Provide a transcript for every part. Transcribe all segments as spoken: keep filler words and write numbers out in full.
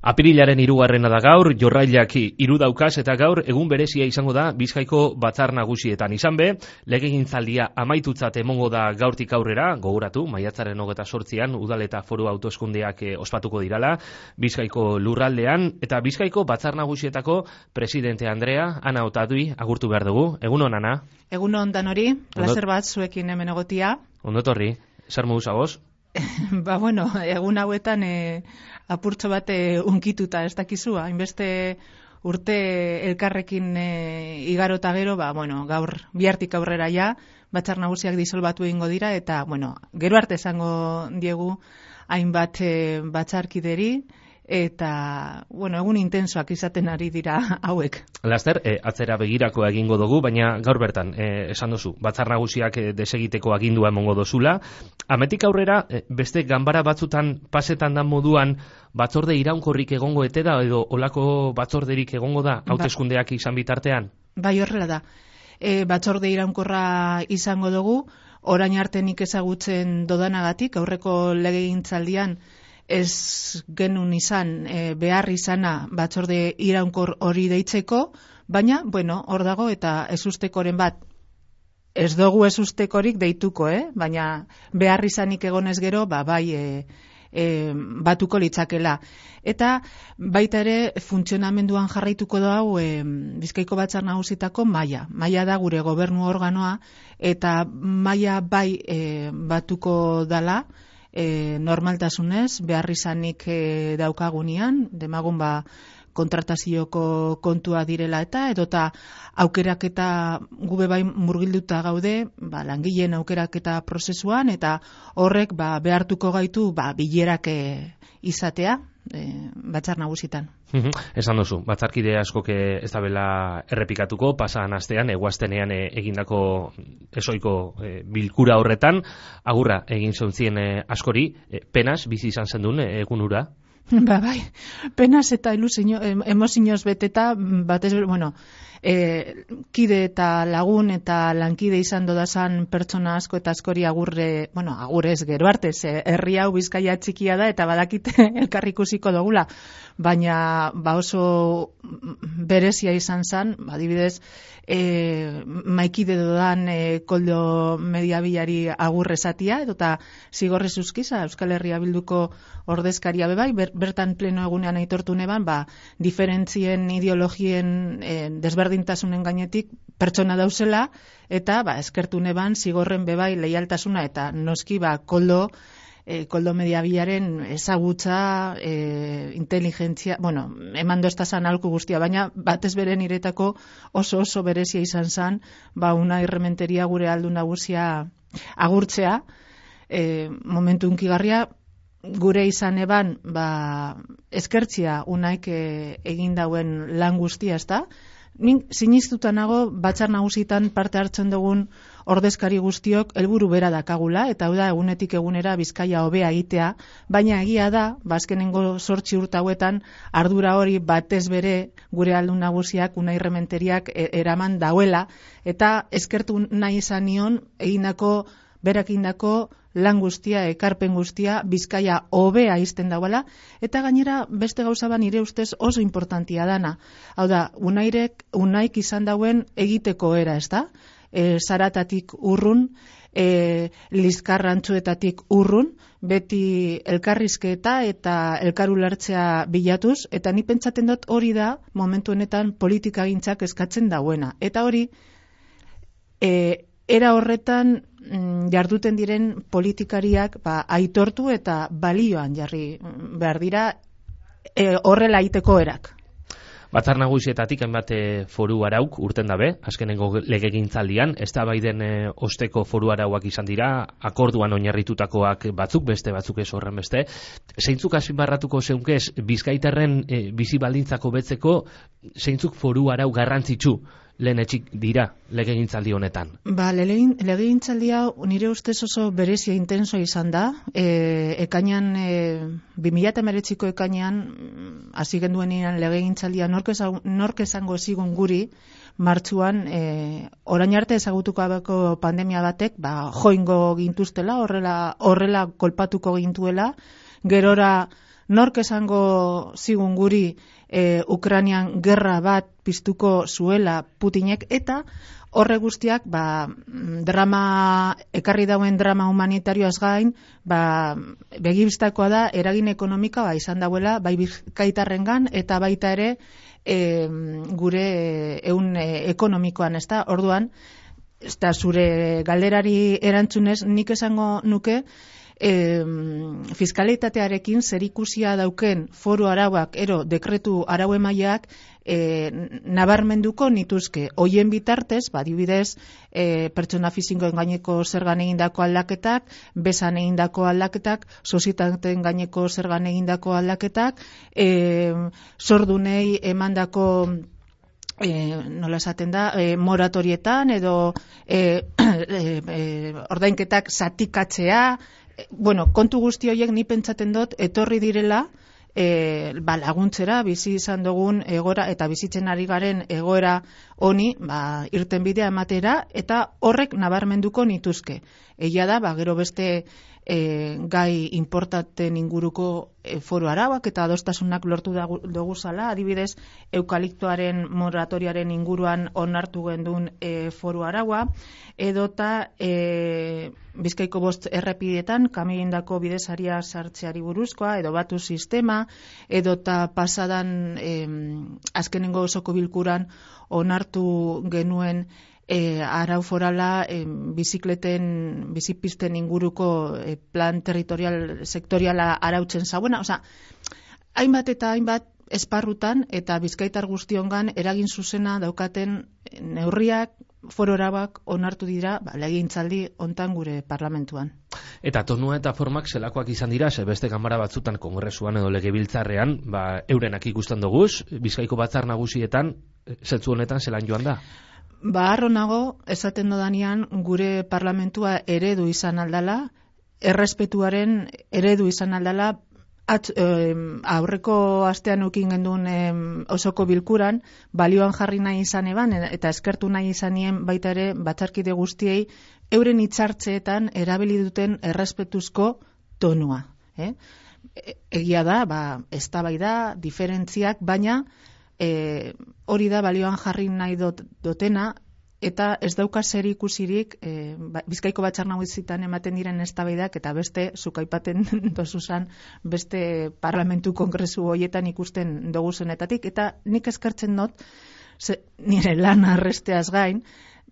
Apirilaren hirugarrena da gaur, jorrailak hiru daukaz eta gaur egun berezia izango da Bizkaiko batzar nagusietan. Izan be, legegintzaldia amaitutzat emongo da gaurtik aurrera, gogoratu, maiatzaren hogeita zortzian udal eta foru hauteskundeak eh, ospatuko dirala, Bizkaiko lurraldean, eta Bizkaiko batzar nagusietako presidente Andrea, Ana Otadui, agurtu behar dugu. Egunon, Ana? Egunon danori, plazer bat zuekin hemen egotia. Ondotorri, zer moduz agoz? Ba, bueno, egun hauetan e, apurtxo bat e, unkituta, ez dakizu, hainbeste urte elkarrekin e, igaro eta gero, ba, bueno, gaur bihartik aurrera ja, batzar nagusiak disolbatu egingo dira, eta, bueno, gero arte esango diegu hainbat e, batzarkideri, eta, bueno, egun intensoak izaten ari dira hauek. Laster, eh, atzera begirako egingo dugu, baina gaur bertan, eh, esan duzu, batzar nagusiak eh, desegiteko agindua emongo dozula. Ametik aurrera, eh, beste ganbara batzutan pasetan dan moduan, batzorde iraunkorrik egongo ete da, edo olako batzorderik egongo da, hauteskundeak izan bitartean? Bai, horrela da. E, batzorde iraunkorra izango dugu, orain arte nik ezagutzen dodanagatik, aurreko legegintzaldian, ez genuen izan e, behar izana batzorde iraunkor hori deitzeko, baina, bueno, hor dago eta ezustekoren bat, ez dugu ezustekorik deituko, eh? Baina behar izanik egonez gero, ba, bai e, e, batuko litzakela. Eta baita ere funtzionamenduan jarraituko da hau e, Bizkaiko batzar nagusitako maila. Maila da gure gobernu organoa, eta maila bai e, batuko dala, E, normaltasunez, behar izanik e, daukagunean, demagun ba kontratazioko kontua direla eta, edota aukeraketa gube bai murgilduta gaude, ba, langileen aukeraketa prozesuan, eta horrek ba, behartuko gaitu ba, bilerak e, izatea, e, batzar nagusitan. Esan duzu, batzarkide askok ez da bela errepikatuko, pasan astean, eguaztenean e, egindako esoiko e, bilkura horretan, agurra egin zontzien e, askori, e, penaz, bizi izan zen duen e, egun ura? Ba, bai, penaz eta ilusio, emozioz beteta, batez, bueno, e, kide eta lagun eta lankide izan dodazan pertsona asko eta askori agurre, bueno, agurrez gero arte, ze herri hau Bizkaia txikia da eta badakite elkarrikusiko dugula, baina ba oso berezia izan zen, adibidez, e, maikide dodan e, koldo mediabilari agurre zatia, edota zigorrez uzkiza, Euskal Herria Bilduko ordezkaria bebai, ber, bertan pleno egunean aitortu neban, ba, diferentzien ideologien e, desberdintasunen gainetik pertsona dauzela, eta ba, eskertu neban zigorren bebai leialtasuna, eta noski ba, koldo, e, koldo mediabilaren ezagutza, e, inteligentzia, bueno, eman doztazan alku guztia, baina batez bere niretako oso oso berezia izan zan, ba, una irrementeria gure aldu nagusia agurtzea, e, momentu unkigarria, gure izan eban, ba, eskertzia unaik e, egin dauen lan guztia, ez da? Nik sinistuta nago batzar nagusitan parte hartzen dugun ordezkari guztiok helburu bera dakagula, eta hau da egunetik egunera Bizkaia hobea egitea, baina egia da, bazkenengo zortzi urte hauetan ardura hori batez bere gure aldun nagusiak, unai rementeriak e, eraman dauela, eta eskertu nahi izan nion egindako, berak indako lan guztia, ekarpen guztia, Bizkaia hobea izten dauela, eta gainera beste gauza ba nire ustez oso importantia dana. Hau da, unairek, unaik izan dauen egiteko era, ez da? E, zaratatik urrun, e, lizkarrantzuetatik urrun, beti elkarrizketa eta elkarulertzea bilatuz, eta ni pentsaten dut hori da momentu honetan politikagintzak eskatzen dauena. Eta hori, e, era horretan jarduten diren politikariak ba, aitortu eta balioan jarri behar dira e, horrela aiteko erak. Batzar nagusietatik hainbat foru arauk urten dabe, azkenengo legegintzaldian, ez da baiden e, osteko foru arauak izan dira, akorduan oinarritutakoak batzuk, beste batzuk ez horren beste. Zeintzuk azpimarratuko zeunkez, Bizkaitarren e, bizi baldintzako betzeko, zeintzuk foru arau garrantzitsu lehen etxik dira legegintzaldi honetan? Ba, legegintzaldia nire ustez oso berezia intensoa izan da. E, ekainan, e, bi mila hemeretziko ekainan, hasi genduenean legegintzaldia nork, nork esango zigun guri, martxuan, e, orain arte ezagutuko abeko pandemia batek, ba, joingo gintuztela, horrela, horrela kolpatuko gintuela, gerora nork esango zigun guri e, Ukrainian gerra bat piztuko zuela Putinek, eta horre guztiak ba, drama, ekarri dauen drama humanitarioaz gain, ba, begibistakoa da eragin ekonomika ba, izan dauela bai bizkaitarrengan eta baita ere e, gure ehun e, ekonomikoan, ezta? Orduan, ezta zure galderari erantzunez, nik esango nuke E, fiskalitatearekin zerikusia dauken foru arauak, ero dekretu arau emaileak e, nabarmenduko nituzke. Hoien bitartez, badibidez, e, pertsona fisikoen gaineko zergan egindako aldaketak, bezan egindako aldaketak, sozietateen gaineko zergan egindako aldaketak, e, zordunei emandako E, nola esaten da, e, moratorietan edo e, e, e, ordainketak zatikatzea, e, bueno, kontu guzti horiek ni pentsaten dut etorri direla e, ba, laguntzera bizi izan dugun egoera eta bizitzen ari garen egoera honi ba, irten bidea ematera, eta horrek nabarmenduko nituzke. Egia da, ba, gero beste e, gai importanten inguruko e, foru arauak eta adostasunak lortu dugu zala, adibidez eukaliptoaren moratoriaren inguruan onartu gendun e, foru araua, edota e, Bizkaiko bost errepidetan kamioindako bidesaria sartzeari buruzkoa, edo batu sistema, edota pasadan e, azkenengo osoko bilkuran onartu genuen E, arau forala e, bizikleten, bizipisten inguruko e, plan territorial sektoriala arautzen zauena. Osea, hainbat eta hainbat esparrutan eta bizkaitar guztiongan eragin zuzena daukaten neurriak, foru arauak onartu dira ba, legegintzaldi hontan gure parlamentuan. Eta tonua eta formak zelakoak izan dira, ze beste ganbara batzutan kongresuan edo legebiltzarrean, ba, eurenak ikusten doguz, Bizkaiko batzar nagusietan, zentzu honetan zelan joan da? Ba, harro nago, esaten dodanean gure parlamentua eredu izan aldala, errespetuaren eredu izan aldala, at, eh, aurreko astean ukin gendun eh, osoko bilkuran, balioan jarri nahi izan eban, eta eskertu nahi izanien baita ere batzarkide guztiei, euren hitzartzeetan erabili duten errespetuzko tonua. Eh? Egia da, ba, eztabaida, diferentziak, baina E, hori da balioan jarri nahi dot, dotena, eta ez dauka zer ikusirik e, Bizkaiko batzar nagusitan ematen diren eztabaidak eta beste, zuk aipaten dozuzan, beste parlamentu kongresu horietan ikusten dugu zenetatik, eta nik eskertzen dut, ze, nire lan arresteaz gain,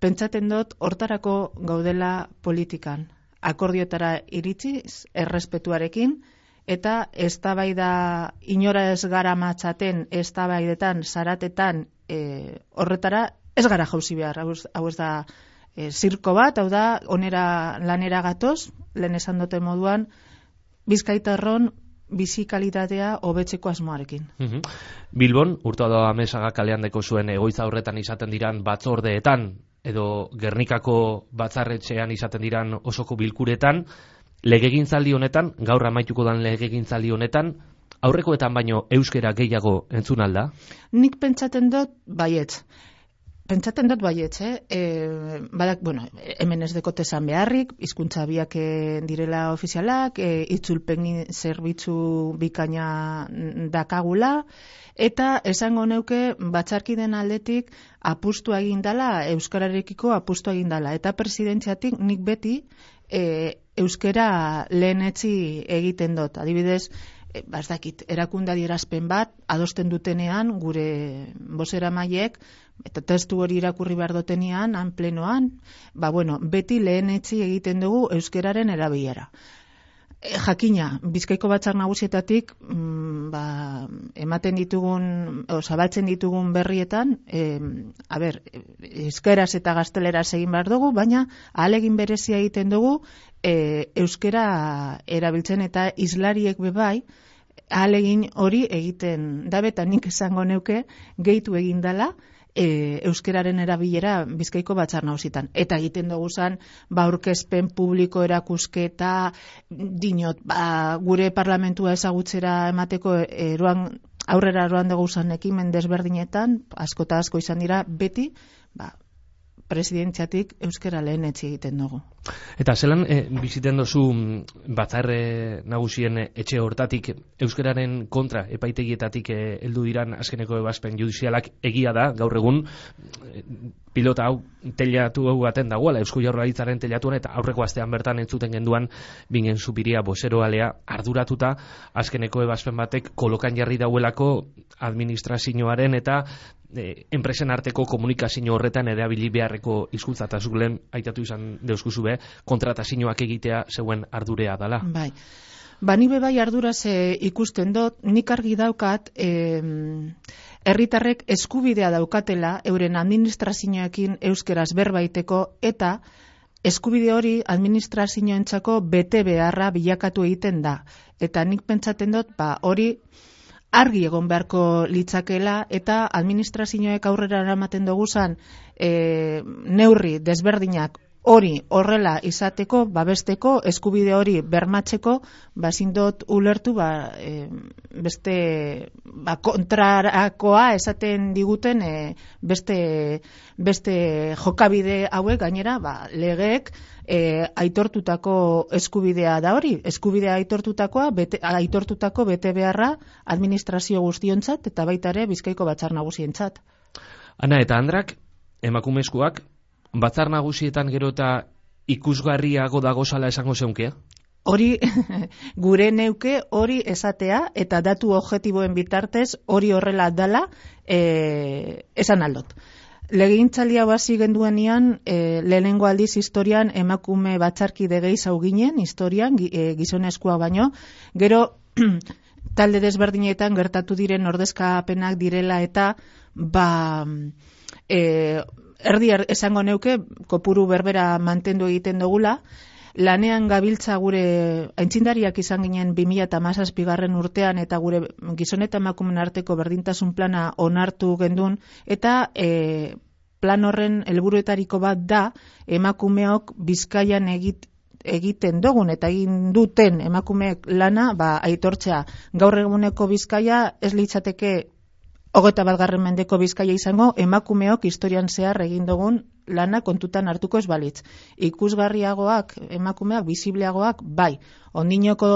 pentsaten dut hortarako gaudela politikan, akordioetara iritsiz, errespetuarekin, eta eztabaida inora ez gara matzaten, eztabaidetan, zaratetan, e, horretara ez gara jauzi behar. Hau ez da e, zirko bat, hau da, onera lanera gatoz, lehen esan dute moduan, Bizkaitarron bizi kalitatea hobetzeko asmoarekin. Mm-hmm. Bilbon, urtua da Amezaga kalean deko zuen egoitza horretan izaten diran batzordeetan, edo Gernikako batzarretxean izaten diran osoko bilkuretan, legegintzaldi honetan, gaur amaituko dan legegintzaldi honetan, aurrekoetan baino euskera gehiago entzun alda? Nik pentsaten dut baietz. Pentsaten dut baietz, eh? E, badak, bueno, hemen ez dekote esan beharrik, hizkuntza biak direla ofizialak, e, itzulpen zerbitzu bikaina dakagula, eta esango neuke batzarkiden aldetik apustu egin dala, euskararekiko apustu egin dala, eta presidentziatik nik beti e, euskera lehenetzi egiten dut. Adibidez, e, bazdakit, erakunda dierazpen bat, adosten dutenean, gure bozeramaileek, eta testu hori irakurri behar dutenean, han plenoan, ba bueno, beti lehenetzi egiten dugu euskeraren erabilera. E, jakina, Bizkaiko batzar nagusietatik mm, ba, ematen ditugun, o, zabaltzen ditugun berrietan, e, a ber, euskeraz eta gazteleraz egin behar dugu, baina ahalegin berezia egiten dugu e, euskera erabiltzen, eta islariek bebai, ahalegin hori egiten dabe, eta nik esango neuke gehitu egin dala, E, euskeraren erabilera Bizkaiko batzar nagusitan. Eta egiten dugu zan, ba, aurkezpen publiko erakusketa, dinot, ba, gure parlamentua ezagutzera emateko eroan, aurrera eroan dugu zan ekimen desberdinetan, asko eta asko izan dira, beti, ba, presidentziatik euskara lehenetzi egiten dugu. Eta zelan e, biziten dozu batzar e, nagusien etxe hortatik euskararen kontra epaitegietatik heldu e, diran azkeneko ebazpen judizialak egia da, gaur egun e, pilota hau telatu hau baten dagoela, Eusko Jaurlaritzaren telatuan, eta aurreko astean bertan entzuten genduan bingen Zupiria bozeroalea arduratuta azkeneko ebazpen batek kolokan jarri dauelako administrazioaren eta e, enpresen arteko komunikazio horretan erabili beharreko hizkuntza eta zuk lehen aitatu izan deuskuzu be, kontratazioak egitea zeuen ardurea dala. Bai. Ba, ni be bai arduraz e, ikusten dut, nik argi daukat e, herritarrek eskubidea daukatela euren administrazioekin euskeraz berbaiteko eta eskubide hori administrazioentzako bete beharra bilakatu egiten da. Eta nik pentsaten dut, ba, hori argi egon beharko litzakela eta administrazioek aurrera eramaten doguzan e, neurri desberdinak hori horrela izateko, babesteko, eskubide hori bermatzeko, bazin dut ulertu, ba, e, beste ba, kontrarakoa esaten diguten e, beste, beste jokabide hauek gainera, ba, legeek e, aitortutako eskubidea da hori, eskubidea aitortutakoa, bete, aitortutako bete beharra administrazio guztiontzat eta baita ere Bizkaiko Batzar Nagusientzat. Ana eta Andrak, emakumezkoak, Batzar Nagusietan gero eta ikusgarriago dagozala esango zeunkea? Hori gure neuke hori esatea eta datu objektiboen bitartez hori horrela dala e, esan aldot. Legegintzaldia hasi genduenean e, lehenengo aldiz historian emakume batzarkide gehiago ginen historian e, gizonezkoa baino, gero talde desberdinetan gertatu diren ordezkapenak direla eta ba e, erdi er, esango neuke kopuru berbera mantendu egiten dugula. Lanean gabiltza gure aintzindariak izan ginen bi mila hamazazpigarren urtean eta gure gizon eta emakumeen arteko berdintasun plana onartu gendun eta e, plan horren helburuetariko bat da emakumeok Bizkaian egit, egiten dugun eta egin duten emakumeek lana ba, aitortzea. Gaur eguneko Bizkaia ez litzateke hogeita batgarren mendeko Bizkaia izango, emakumeok historian zehar egin dugun lana kontutan hartuko ez balitz. Ikusgarriagoak, emakumeak, bizibleagoak, bai. Ondinoko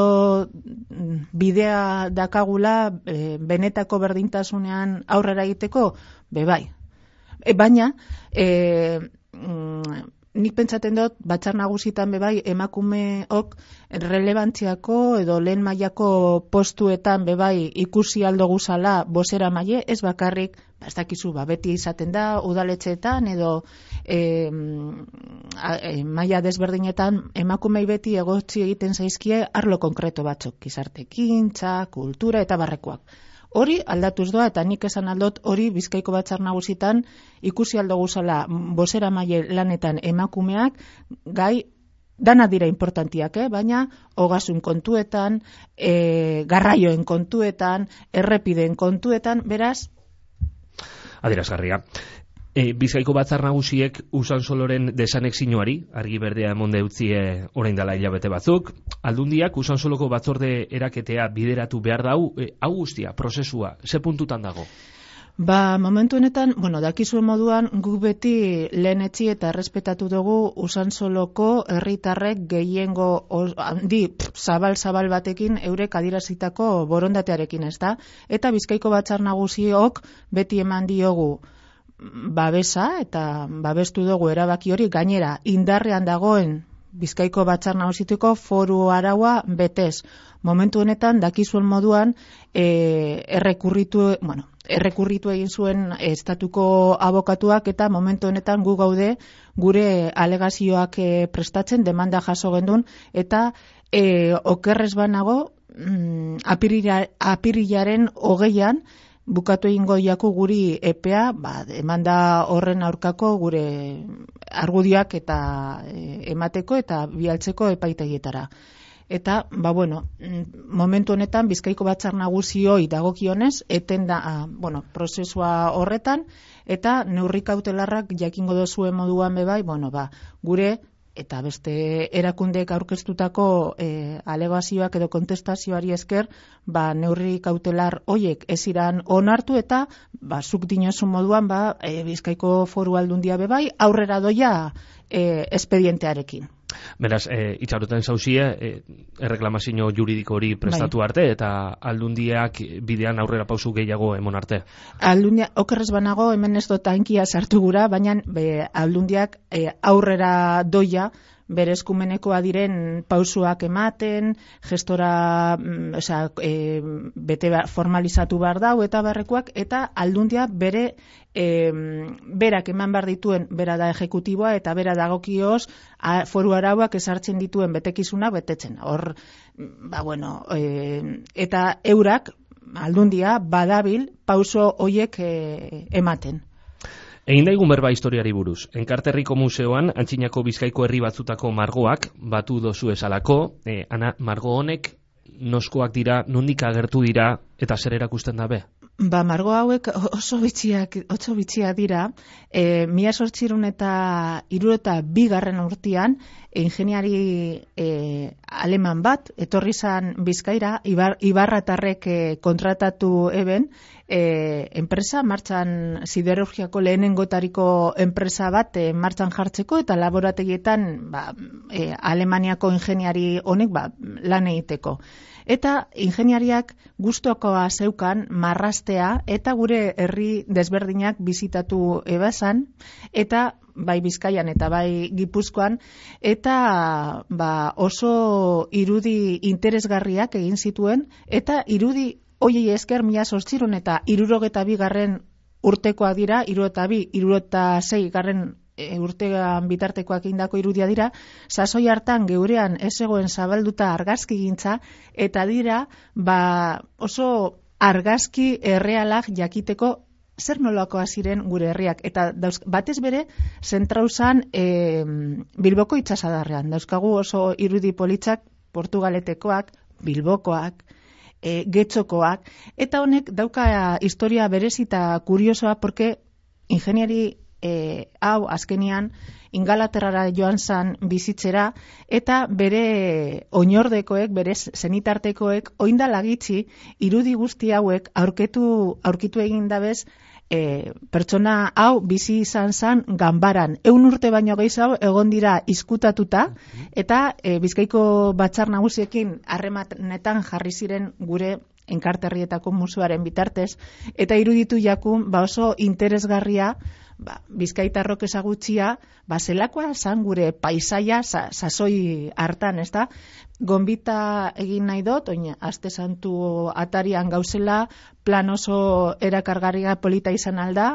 bidea dakagula e, benetako berdintasunean aurrera egiteko, be bai. E, baina, e, mm, nik pentsaten dut, Batzar Nagusitan bebai emakumeok relevantziako edo lehen mailako postuetan bebai ikusi aldo guzala bozera maile, ez bakarrik, ez dakizu, ba, beti izaten da, udaletxeetan edo e, e, maila desberdinetan emakumei beti egotzi egiten zaizkie arlo konkreto batzuk, gizartekintza, kultura eta barrekoak. Hori aldatuz doa eta nik esan aldot hori Bizkaiko Batzar Nagusitan ikusi aldo guzala bozera maile lanetan emakumeak gai dana dira importantiak, eh? Baina ogasun kontuetan, e, garraioen kontuetan, errepideen kontuetan, beraz? Adierazgarria. E, Bizkaiko Batzar Nagusiek Usansoloren desanexioari argi berdea emonde utzie orain dela hilabete batzuk. Aldundiak Usansoloko batzorde eraketea bideratu behar dau, e, hau guztia, prozesua, ze puntutan dago? Ba, momentu honetan, bueno, dakizuen moduan, guk beti lehenetzi eta errespetatu dugu Usansoloko herritarrek gehiengo handi zabal-zabal batekin eurek adierazitako borondatearekin, ez da? Eta Bizkaiko Batzar Nagusiok beti eman diogu babesa eta babestu dugu erabaki hori gainera indarrean dagoen Bizkaiko Batzar Nagusituko foru araua betez. Momentu honetan dakizuen moduan e, errekurritu, bueno, errekurritu egin zuen estatuko abokatuak eta momentu honetan gu gaude gure alegazioak e, prestatzen demanda jaso gendun eta e, okerrez banago mm, apirila, apirilaren hogeian bukatu egingo jaku guri epea, ba, emanda horren aurkako gure argudioak eta e, emateko eta bialtzeko epaitegietara. Eta, ba, bueno, momentu honetan Bizkaiko Batzar Nagusioi dagokionez, eten da, a, bueno, prozesua horretan, eta neurri kautelarrak jakingo dozuen moduan bebai, bueno, ba, gure eta beste erakundeek aurkeztutako e, alegazioak edo kontestazioari esker, ba, neurri kautelar hoiek ez iran onartu eta ba, zuk dinozu moduan ba, e, Bizkaiko Foru Aldundia bebai aurrera doia e, espedientearekin. Beraz, e, itxaroten zauzie, e, erreklamazio juridiko hori prestatu arte, eta aldundiak bidean aurrera pausu gehiago emon arte. Aldundia, okerrez banago, hemen ez dut hankia sartu gura, baina be, aldundiak e, aurrera doia, bere eskumenekoa diren pausuak ematen, gestora mm, osea, e, bete formalizatu behar dau eta barrekoak, eta aldundia bere e, berak eman behar dituen, bera da ejekutiboa eta bera dagokioz a, foru arauak ezartzen dituen betekizuna betetzen. Hor, ba bueno, e, eta eurak, aldundia, badabil pauso hoiek e, ematen. Egin daigun berba historiari buruz. Enkarterriko museoan, Antzinako Bizkaiko herri batzutako margoak batu dozu esalako, e, ana, margo honek noskoak dira, nondik agertu dira, eta zer erakusten dabe? Ba, margo hauek oso bitxiak, oso bitxiak dira, e, mila sortzirun eta hiru eta bigarren urtean, ingeniari e, aleman bat, etorri zan Bizkaira, Ibar, Ibarratarrek e, kontratatu eben, e, enpresa, martxan siderurgiako lehenengotariko enpresa bat e, martxan jartzeko, eta laborategietan ba, e, Alemaniako ingeniari honek ba, lan egiteko. Eta ingeniariak gustokoa zeukan marrastea eta gure herri desberdinak bizitatu ebazan, eta bai Bizkaian eta bai Gipuzkoan, eta ba, oso irudi interesgarriak egin zituen, eta irudi hoiei esker mila zortziehun eta hirurogeta bigarren urtekoa dira, hirurogeita bi, hirurogeita sei garren urtean bitartekoak indako irudia dira, sasoi hartan geurean ez egoen zabalduta argazki gintza, eta dira ba, oso argazki errealak jakiteko zer nolakoa ziren gure herriak. Eta dauz, batez bere, zentrauzan e, Bilboko itsasadarrean. Dauzkagu oso irudi politzak, Portugaletekoak, Bilbokoak, e, Getxokoak, eta honek dauka historia berezita kuriosoa, porque ingeniari E, hau azkenian Ingalaterrara joan zan bizitzera, eta bere oinordekoek, bere zenitartekoek oinda lagitzi irudi guzti hauek aurketu, aurkitu egin dabez e, pertsona hau bizi izan zan ganbaran. Eun urte baino gehiago egon dira izkutatuta, eta e, Bizkaiko Batzar Nagusiekin harremanetan jarri ziren gure Enkarterrietako museoaren bitartez, eta iruditu jakun ba oso interesgarria ba, Bizkaitarrok ezagutzia, ba, zelakoa zan gure paisaia sa, sasoi hartan, ez da? Gonbita egin nahi dut, oin, aste santu atarian gauzela, plan oso erakargarria polita izan alda,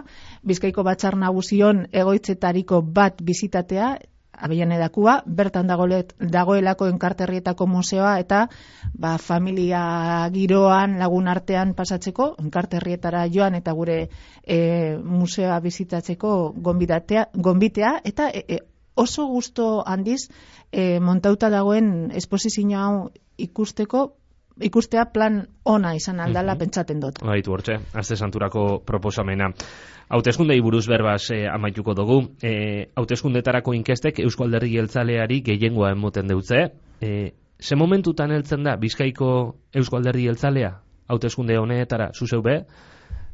Bizkaiko Batzar Nagusion egoitzetariko bat bizitatea, abeian edakua, bertan dagoelet, dagoelako Enkarterrietako museoa, eta ba, familia giroan lagun artean pasatzeko, Enkarterrietara joan eta gure e, museoa bizitatzeko gonbitea, gonbitea eta e, e, oso gusto handiz e, montauta dagoen esposizio hau ikusteko, ikustea plan ona izan aldala, mm-hmm. pentsaten dut. Baitu hortxe, aste santurako proposamena. Hauteskundei buruz berbaz eh, amaituko dugu. Eh, hauteskundetarako inkestek Eusko Alderdi Jeltzaleari gehiengoa emoten deutze. Eh, ze momentutan heltzen da Bizkaiko Eusko Alderdi Jeltzalea? Hauteskunde honetara zuzeu be,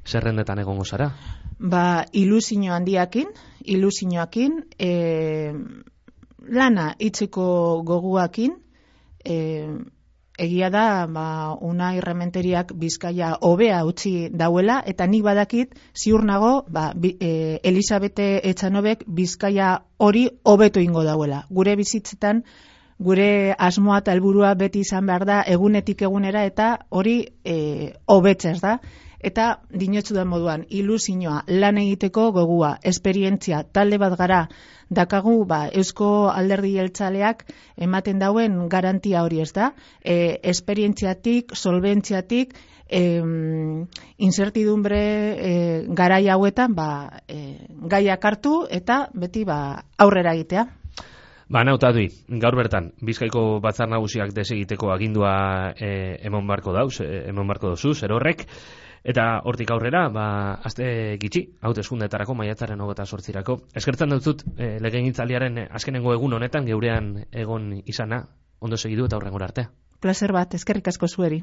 zerrendetan egongo zara? Ba, ilusio handiakin, ilusioakin, eh, lana itzeko goguakin, eh, egia da, ba, Unai Rementeriak Bizkaia hobea utzi dauela, eta nik badakit ziur nago, ba, bi, e, Elisabete Etxanobek Bizkaia hori hobeto ingo dauela. Gure bizitzetan, gure asmoa eta helburua beti izan behar da, egunetik egunera, eta hori e, hobetzez da. Eta dinotzu da moduan, ilusioa, lan egiteko gogua, esperientzia, talde bat gara, dakagu ba, Eusko Alderdi Jeltzaleak ematen dauen garantia hori, ez da? E, esperientziatik, solventziatik, e, incertidumbre e, garai hauetan ba, e, gaiak hartu eta beti ba, aurrera egitea. Ba, nautadui, gaur bertan, Bizkaiko Batzar Nagusiak desegiteko agindua e, emon barko dauz, e, emon barko dozu, zer horrek, Eta hortik aurrera, ba, aste gitxi, hauteskundeetarako maiatzaren hogeita zortzirako. Eskertzen dut e, legegintzaldiaren azkenengo egun honetan geurean egon izana, ondo segidu eta horrengora arte. Plazer bat, eskerrik asko zueri.